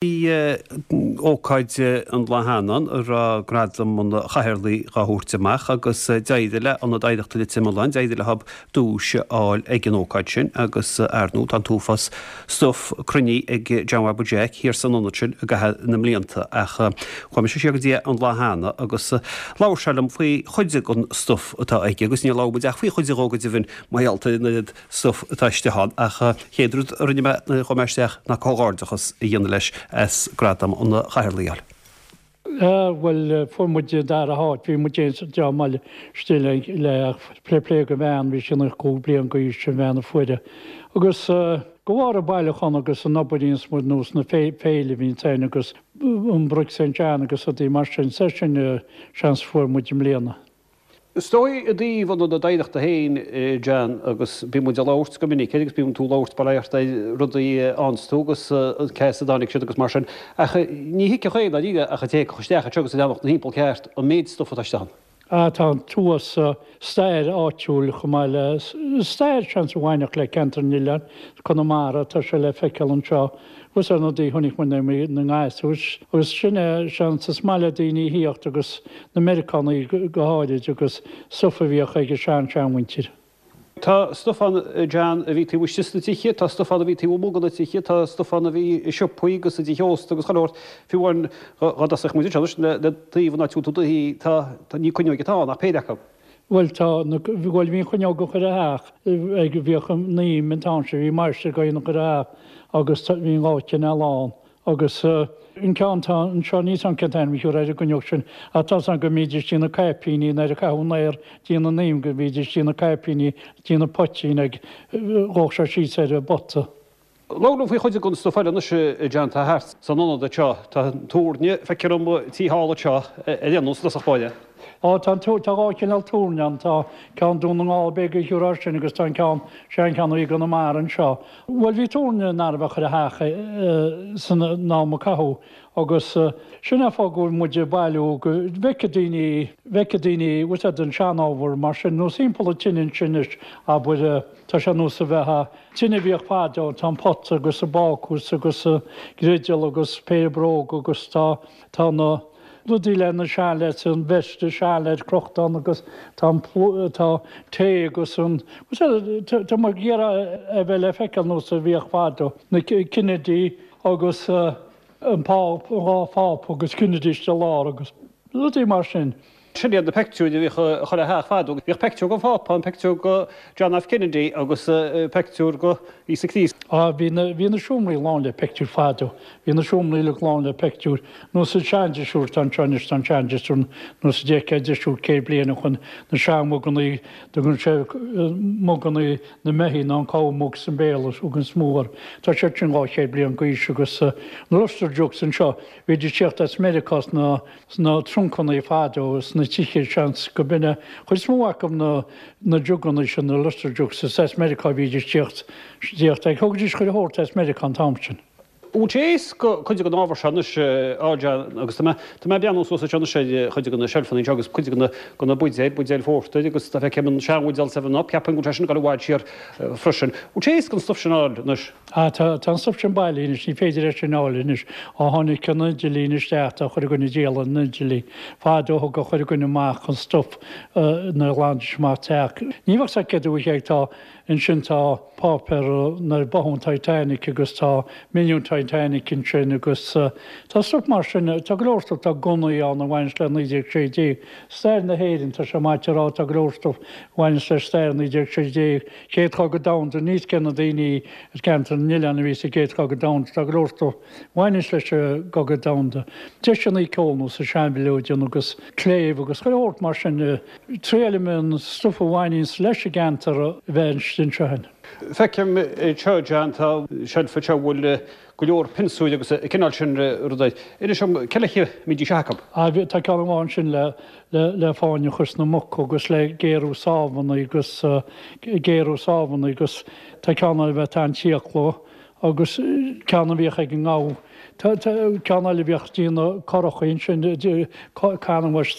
Bhí ócáid an lá cheana ann a raibh Gradam an Chathaoirligh dhá thabhairt amach agus d'éirigh le Ionad Oidhreachta Leitir Mealláin, d'éirigh leo duais a fháil ag an ócáid sin agus ar ndóigh tá an t-uafás stuif cruinnithe ag John Bhabaí Jeaic thiar san ionad sin i gcaitheamh na mblianta ach chuaigh mise siar go dtí é an lá cheana agus labhair sé liom faoi chuid den stuif atá aige agus níor labhair muid ach faoi chuid dhó go deimhin mar gheall ar an oiread stuif atá istigh ann ach chéad rud a rinne mé nuair a chuaigh mé isteach ná comhghairdeachas a dhéanamh leis as Gradam an Chathaoirligh a fháil. Bhuel, fuair muid an dara háit, bhí muid féin is an dream eile istigh le le ach plé plé go bhean, bhí sí 95 bliain d'aois, an bhean a fuair é. Agus de bharr an bailiúchán agus an obair a dhéanas muid nós na féile a bhíonns ann agus an Brick St John agus rudaí mar sin, is é sin seans a fuair muid i mbliana. Is dóigh i dtaobh an Ionaid Oidhreachta féin, John, agus bíonn muid ag labhairt go minic air agus bíonn tú ag labhairt bail ó Dhia ort ar rudaí a fhaigheanns tú agus cé as a dtáinig siad agus mar sin, ach ní thuigfeadh éinne dáiríre ach an té a thiocfadh isteach anseo agus a bhreathnódh ina thimpeall ceart an méid stuif atá istigh ann. Ah, tá an t-uafás stair áitiúil chomh maith le stair seans a bhainfeadh le ceantar an oileáin, Conamara, tá sé le feiceáil anseo. Agus ar na rudaí a chonaic muid na ngasúir agus sin é seans is maith le daoine a thíocht agus na Meiriceánaigh go háirid agus stuif a bhíodh ag a sean-seanmhuintir. Tá stuif ann John a bhí taobh istigh sna tithe, tá stuif ann a bhí taobh amuigh de na tithe, tá stuif ann a bhí i siopaí agus i dtithe ósta agus chuile shórt. Fiú amháin dhá dtosódh muid anseo anois le taobh an áit a bhfuil tú do shuí, tá, ní cuinneoig atá ann ach péire acu. Bhuel tá na, bhuel bhí an chuinneog ag chuile theach ag, bhíodh an naoim an t-am sin, bhí máistir ag an chuile theach agus tá, bhí an dhá chineál ann agus an ceann atá anseo níl 's a'm cén t-ainm a thiúrfá ar an gcuinneog sin ach tá 's a'm go mbídís ag déanamh caipíní nuair a caitheadh an aer déanamh an im go mbídís ag déanamh caipíní déanamh poitín ag, dhódh sé síos ar an bpota. Labhair liom faoi chuid den stuif eile anois, a John, atá thart san ionad anseo. Tá an túirne, feictear dom, tí thall anseo ar aon nós i dtosach báire. Á, tá an tá dhá chineál túirne ann. Tá ceann Dún na nGall, b'fhéidir go thiúrfá air sin agus tá an ceann, seancheann a bhí i gConamara anseo. Bhuel, bhí túirne in arbh chuile theach san am a caitheadh agus sin é fáth go bhfuil muid ag bailiú go bhfeicfidh daoine, bhfeicfidh daoine, bhfuil 's a'd, an seanábhar mar sin, nós thimpeall an tine ansin anois, abair, tá sé nós a bheith. Tine a bhíodh fadó, tá an pota agus an bácús agus an grideall agus péire bróg agus tá, tá na rudaí le na seanleaids, an veist seanleaid crochta ann agus tá an tá tae agus an, tá muid ag iarraidh a bheith le feiceáil nós a bhíodh fadó, na Kennedy agus an Páp, an dhá Phápa agus Kennedy istigh i lár agus rudaí mar sin. Sin iad na peictiúir a bhíodh i chuile theach fadó. Bhíodh peictiúr den Phápa ann, peictiúr de John F. Kennedy agus peictiúr de Íosa Críost. Á, bhí na, bhí na seomraí lán le peictiúir fadó. Bhí na seomraí uilig lán le peictiúir. Nós an seandrisiúr atá anseo anois, tá an seandrisiúr nós a d'fheicfeá drisiúr 100 bliain ó shoin, na seanmhugannaí, dtugann sé mugannaí na mbeithígh ná an cow mugs i mBéarla, thugann is mó orthu. Tá siad sin 200 bliain d'aois agus na luster jugs anseo, bhídís ag tíocht as Meiriceá sna, sna truncannaí fadó sna tithe, seans go b'in é chuid is mó acu na na jugannaí sin, na luster jugs, is as Meiriceá a bhídís ag tíocht, ag thugaidís chuile shórt as Meiriceá an t-am sin. Bhfuil sé éasca cuid den ábhar seo anois a John agus tá mé tá mé ag breathnú suas anseo anois ar chuid de na seilfeanna anseo agus cuid de na de na buidéil, buidéil phórtair agus tá feicim an seanbhuidéal Seven Up, ceapaim go bhfuil sé sin ag dul i bhfad siar freisin. Bhfuil sé éasca an stuif sin a fháil anois? Ah, tá, tá an stuif sin bailithe anois, ní féidir é sin a fháil anois. Ó tháinig an idirlíon isteach, tá chuile dhuine ag díol ar an idirlíon. Fadó thugadh chuile dhuine amach an stuif nuair a ghlanaidís amach teach. Ní bheadh 's a'd céard a bhí ag, tá, ansin tá páipéar nuair a báthadh an Titanic agus tá menu an Titanic ansin agus tá stuif mar sin, tá go leor stuif, tá gunnaí ann a bhaineas le 1916. Stair na hÉireann, tá sé maith a rá, tá go leor stuif a bhaineas le stair 1916. Chéad Chogadh Domhanda, níos cé na daoine as ceantar na n-oileán a bhí sa gCéad Chogadh Domhanda, tá go leor stuif a bhaineas leis an gCogadh Domhanda. Deiseanna ceoil nós an seanmhileoidean agus cléibh agus chuile shórt mar sin. Triailim an stuif a bhaineanns leis an gceantar a bheith anseo féin. Feicim anseo, John, tá seilf anseo a bhfuil go leor pionsúir agus an cineál sin rudaí. Inis dom, cé leis a mbídís acu? Ah, tá ceann amháin ansin le, le, le fáinne a chur sna muca agus le géarú sábhanna agus, géarú sábhanna agus tá ceann eile a bheith an fiacla agus ceann a bhíodh ag an ngabha. Tá, tá ceann eile a bhíodh ag déanamh curachaí ansin, canbhais,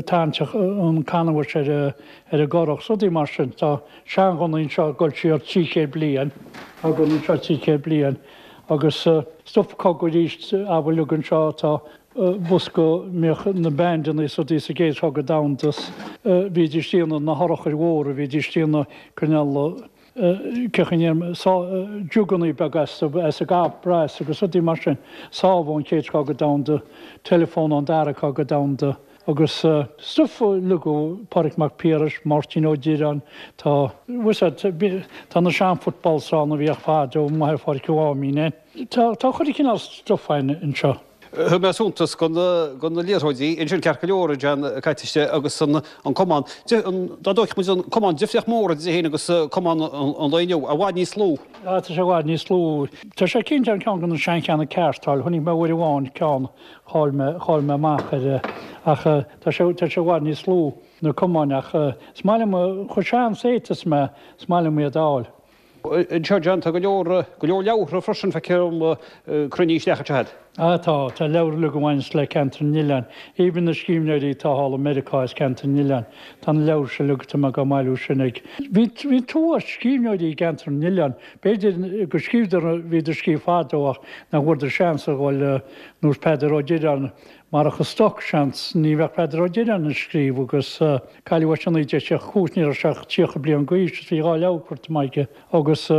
tarraingt an canbhais ar a, ar an gcurach, rudaí mar sin. Tá seanghunnaí anseo ag dul siar 300 bliain, tá gunnaí anseo 300 bliain. Agus stuif cogaidh arís abair uilig anseo, tá bosca a mbíodh na bandanna is rudaí sa gCéad Chogadh Domhanda is bhídís ag déanamh na hurchair mhóra, bhídís ag déanamh cineál jugannaí beaga as an gcopra agus rudaí mar sin. Sábh ón Chéad Chogadh Domhanda, teileafón ón Dara Cogadh Domhanda agus stuif uilig ó Pádraig Mac Piarais, Máirtín Ó Direáin, tá, tá na sean-footballs ann a bhíodh fadó amuigh ar Pháirc an Mháimín. Tá chuile chineál stuif anseo. Thug mé suntas do na liathróidí ansin ceart go leor, a John, caite istigh agus an camán. Dá dtógfadh muid an camán, difríocht mór idir é féin agus camán an lae inniu, i bhfad níos lú. Tá sé i bhfad níos lú. Tá sé cinnte an ceann de na seancheanna ceart a fháil. Chonaic mé uair amháin ceann, chaill mé, chaill mé amach air ach tá sé, tá sé i bhfad níos lú na camáin ach is maith liom, chomh sean saite is mé, is maith liom iad a fháil. Anseo, John, tá go leor, go leor leabhartha freisin, feictear dom, cruinnithe isteach anseo agat. Ah tá, tá leabhair uilig a bhaineas le Ceantar na nOileán. Even na scríbhneoirí atá thall i Meiriceá as Ceantar na nOileán, tá na leabhair sin uilig, tá mé dhá mbailiú sin ag. Bhí, bhí an t-uafás scríbhneoirí i gCeantar na nOileán. B'fhéidir go scríobhadar, bhíodar ag scríobh fadó ach nach bhfuaireadar seans a dhul ar nós Peadar Ó Direáin, Marach an stoc, seans, ní bheadh Peadar Ó Direáin ag scríobh agus cailleadh é sin i 1935, ní raibh sé ach 30 bliain d'aois is bhí 2 leabhar curtha amach aige agus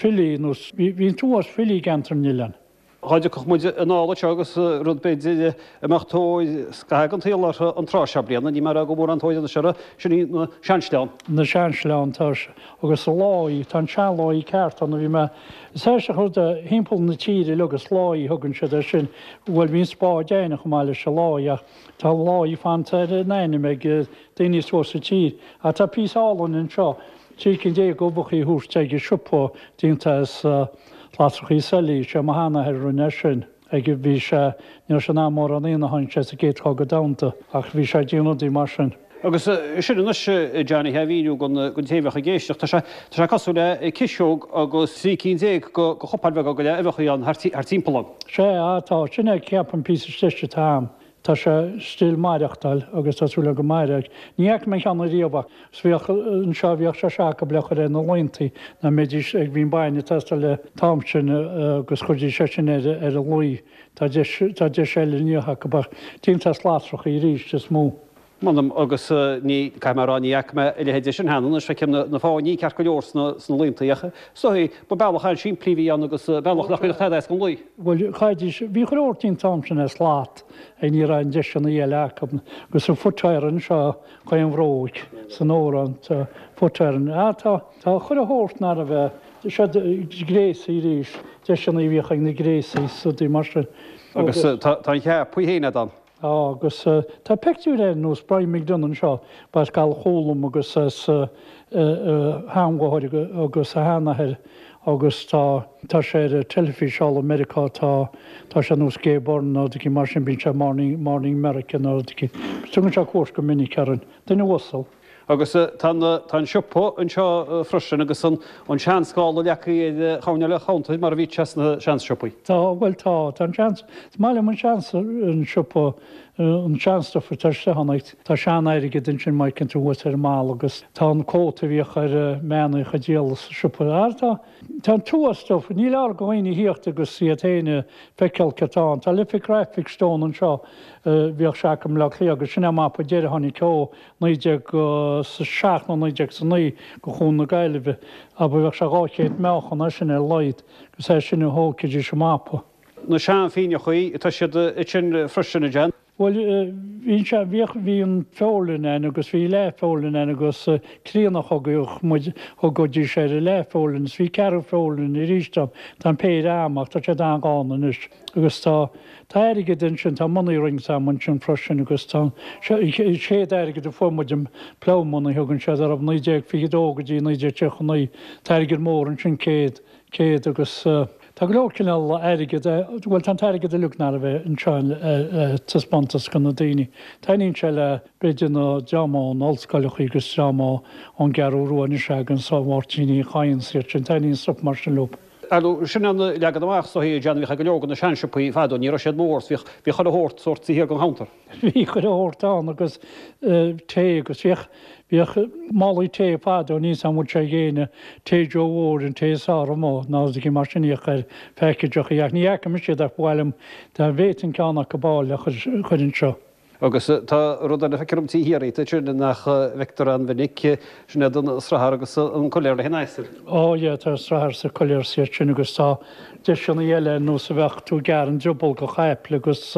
filí nós, bhí an t-uafás filí i gCeantar na nOileán. Dhá dtiocfadh muid anall anseo agus rud b'fhéidir a mbeadh tóir scaitheamh den tsaol orthu an tráth seo bliana, ní mar go mórán tóir anois orthu, sin í na seansleáin. Na seansleáin, tá, agus láí, tá an seanláí ceart ann a bhí mé Is aisteach an rud é, thimpeall na tíre uilig is láí a thugann siad air sin. Bhuel, bhí an spád againne chomh maith leis an láí ach tá an láí fanta ar an ainm ag daoine suas sa tír. Ach tá píosa álainn anseo, 13 cinn d'uibheachaí a thabhairt ag an siopa déanta as lasrachaí seilí. Sé mo sheanathair a rinne é sin. Ag bhí sé, ní raibh sé in ann mórán a dhéanamh, tháinig sé sa gCéad Chogadh Domhanda ach bhí sé ag déanamh rudaí mar sin. Agus sin anois, a Johnny, a mhíniú don té a bheadh ag éisteacht, tá sé, tá sé cosúil le ciseog agus 13 cinn de chupáin bheaga go leith uibheachaí ann thart timpeall ann. Sea, tá, sin é, ceapaim, píosa deis atá ann. Tá sé still maireachtáil agus tá súil agam go mairfidh. Ní fhaca mé an ceann ariamh ach bhíodh anseo, bhíodh sé seo acu le cur ar na laontaí ná mbeidís ag, bhí an bainne ag teastáil an t-am sin agus chuirdís é sin ar ar an laoi. Tá deis, tá deis eile inniu acu ach déanta as lasrachaí arís is mó. M'anam agus ní, caithfidh mé a rá, ní fhaca mé a leithéid de sin cheana. Anois feicim na fáinní ceart go leor sna laontaí ach is dóigh, ba bealach an-simplí a bhí ann agus bealach nach gcuirfeadh tada as don lao. Bhuel, chaithfidís, bhí chuile shórt an t-am sin as slat ag ní raibh an deiseanna eile acu. Agus an foot iron seo chaon bhróig san amhrán, tá foot iron, ah tá, tá chuile shórt ná raibh a, seo gréasaí arís, deiseanna a bhíodh ag na gréasaí is rudaí mar sin. Agus tá an cheap féin agat ann. Tá, agus tá peictiúir ar nós Brian McDonagh anseo, ba as Gallchóir Chúluim agus as a sheanmháthair agus a sheanathair agus tá, tá sé ar an teilifís thall i Meiriceá, tá, tá sé nós Gay Byrne nó rud éicint mar sin, bíonn sé Morning, Morning America nó rud éicint. Tugann sé cuairt go minic orainn. Duine uasal. Agus tá an siopa anseo freisin agus an seanscála leagtha ar choirnéal an chuntair mar a bhíodh sé sna seansiopaí. Tá, bhuel tá, tá an seans, is maith liom an seans, an siopa, an seanstuif atá istigh ann. Tá sean-airgead ansin má fheiceann tú thuas ar an mballa agus tá an cóta a bhíodh ar mbean a díol sa siopa. Ah tá, tá an t-uafás stuif, ní leor do dhaoine a thíocht agus iad féin a feiceáil céard atá ann. Tá Liffey Graphic Stone anseo, bhíodh sé acu i mBleá Cliath agus sin é an mapa deiridh a tháinig ó 1907 nó 1909 go Chuan na Gaillimhe, abair, bheadh sé 200 meáchan é sin ar a laghad, agus é sin a thógfaidís an mapa. Na seanphingneachaí, tá siad ansin freisin, a John. Bhuel, bhí sé, bhíodh, bhí an feoirlinn ann agus bhí leathfheoirlinn ann agus críonach thugadh muid, thugaidís ar an leathfheoirlinn is bhí ceathrú feoirlinn arís ann. Tá an péire a'm ach tá siad an-ghann anois agus tá, Tá airgead ansin, tá money rings a'm ansin freisin agus tá an chéad airgead a fuair muid, an plough money a thugann siaid orthu, 1922 go dtí 1939, tá airgead mór ansin, 100, 100 agus tá go leor cineál airgead, bhuel tá an t-airgead uilig ná raibh anseo ar taispeántas do na daoine. Taitníonn sé le b'fhéidir na dream ón ollscoileachaí agus dream ón gCeathrú Rua anois againn, so Máirtín Uí Chadhain is iad sin, taitníonn stuif mar sin leo. Ar ndóigh, sin an leagan amach is dóichí, John, a bhíodh ag go leor de na seansiopaí fadó, ní raibh siad mór, bhíodh, bhíodh chuile shórt, sórt taobh thiar den chounter. Bhí chuile shórt ann agus tae agus bhíodh, bhíodh málaí tae fadó, níl 's a'm an bhfuil sé ag éinne, tae Joe Mhóir, an tae is fearr amuigh, nó rudaí mar sin a bhíodh ar phackageachaí ach ní fhaca mise iad ach ba mhaith liom dá bhféadfainn ceann acu a fháil le chur anseo. Agus tá rud eile feictear dom taobh thiar dhíot ansin nach bhfeictear an-mhinic, sin iad an srathar agus an coiléar le haghaidh an asail. Ó yeah, tá srathar is coiléar is iad sin agus tá deiseanna eile ar nós a bheadh tú ag gearradh an drioball go chaiple agus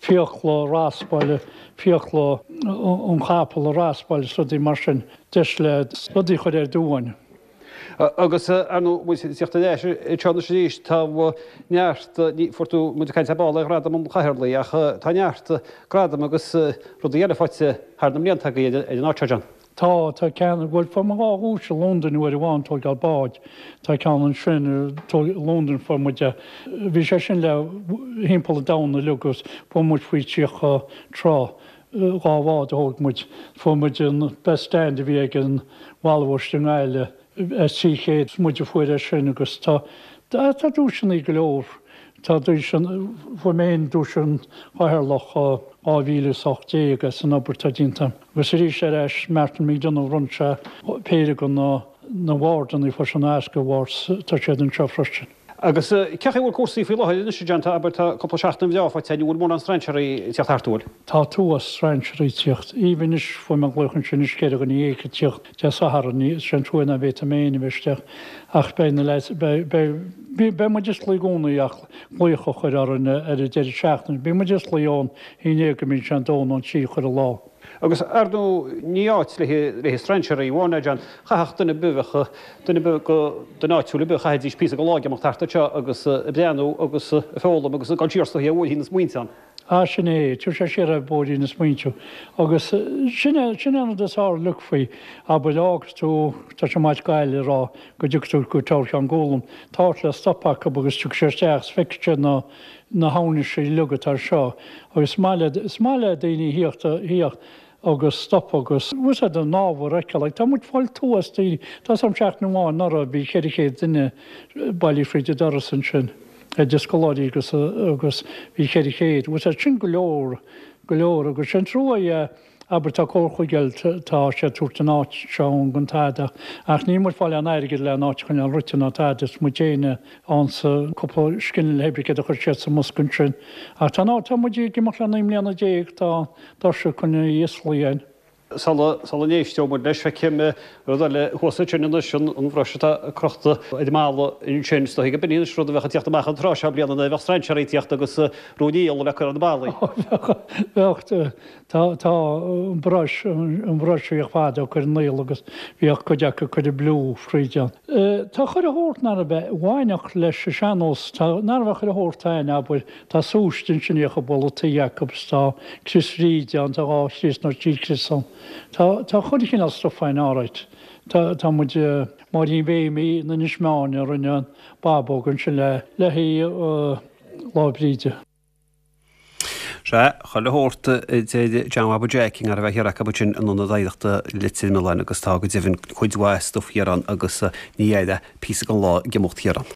fiacla raspáil, fiacla an chapaill a raspáil is rudaí mar sin, deis le rudaí a chur ar d'uain. Agus, ar ndóigh, muid ag tíocht ar ais anseo anois arís, tá neart, ní, fuair tú, muid ag caint ar ball ar Ghradam an Chathaoirligh, ach tá neart gradam agus rudaí eile faighte thar na mblianta agaibh ar an áit seo, John. Tá, tá ceann, bhuel, fuair muid dhá dhuais i Londain uair amháin, tóigeáil báid, tá ceann ansin, i Londain fuair muid é, bhí sé sin le thimpeall an domhain uilig agus fuair muid faoi 30 trá, dhá bhád a thóg muid. Fuair muid an best stand a bhí ag an bhFalbhais i nGaillimh as 300, muid a fuair é sin agus tá, tá duaiseanna go leor, tá duaiseanna, fuair mé féin duais an Chathaoirleach 2018 as an obair atá déanta agam. Agus arís ar ais Martin McDonagh bhronn sé péire de na na awardanna, fuair sé na Oscar Awards, tá siad anseo freisin. Agus cén chaoi a bhfuil cúrsaí faoi láthair anois, a John? Tá, abair, tá cúpla seachtain bhreá faighte againn, an bhfuil mórán strainséirí ag tíocht thart, an bhfuil? Tá tuas strainséirí ag tíocht. Even anois, fuair mé glaoch ansin anois 4 dhuine ag tíocht Dé Sathairn, is é an trua ná bhféadfaidh mé féin a bheith isteach ach beidh na leaids, beidh, beidh, beidh muid osclaithe i gcónaí ach glaoch a chur orainn ar an deireadh seachtaine. Bíonn muid osclaithe ón haon déag go mbíonn sé an dó nó an trí chuile lá. Agus, ar ndóigh, ní áit le haghaidh strainséirí amháin é, John. Chaithfeadh duine ar bith, bheadh duine ar bith go, duine áitiúil ar bith, chaithfidís píosa go lá ag imeacht thart anseo agus ag breathnú agus ag foghlaim agus ag dul siar is dóichí ar bhóithrín na smaointe ann. Ah, sin é, tabharfaidh sé siar ar bhóithrín na smaointe. Agus sin é, sin é an rud is fearr uilig faoi, abair, fhágas tú, tá sé maith Gaillimh a rá go dtiocfaidh tú go Teamhair Cheann Gualann, tá áit le stop acu agus tiocfaidh sé isteach is feicfidh sé na, na hamhnaisí uilig atá anseo agus is maith le, is maith le daoine a thíocht, a thíocht agus stop agus úsáid an ábhar a fheiceáil. Like tá muid fáil tuas daoine, tá 's a'm seachtain amháin anuraidh bhí 400 duine bailithe fríd an doras ansin, idir scoláirí agus, agus bhí 400, úsáid sin go leor, go leor agus sé an trua é, Abair, tá Comhar Chúige Uladh, tá sé ag tabhairt an áit seo ann gan tada, ach níl muid fáil aon airgead le an áit a choinneáil rite ná tada, is muid féin ann sa cúpla scine le hoibrigh iad a chuir siad sa mbosca ansin. Ach tá an áit, tá muid ag imeacht le 19 mbliana, tá doirse coinnithe osclaithe againn. Sula, sula n-éisteoidh muid leis, feicim rud eile thuas ansin anois, an, an bhruis atá crochta ar an mballa ansin. Is dóichí go b'in anois rud a bheadh ag tíocht amach an tráth seo bliana nuair a bheadh strainséirí ag tíocht agus rún aoil le cur ar na ballaí. Bheadh, bheadh. Tá, tá an brush, an brush a bhíodh fada ag cur an aol agus bhíodh cuid acu ag cur an blue fríd ann. Tá chuile shórt nar a bheith bhainfeadh leis an sean-nós, tá, nar a bheith chuile shórt ann, abair, tá súiste ansin a bhíodh ag bualadh tuí acu is tá crios Bhríde ann, tá dhá chrios nó trí chrios ann. Tá, tá chuile chineál stuff ann alright. Tá, tá muid, Máirín Mhéimí in Inis Meáin a rinne an bábóg ansin le, le haghaidh Lá Bríde. Sea, chuile shórt a deir John Bhaba Jeaic i nGairbheith Thiar acu ansin in Ionad Oidhreachta Leitir Mealláin agus tá go deimhin cuid mhaith stuif thiar ann agus ní fheadar píosa den lá ag imeacht thiar ann.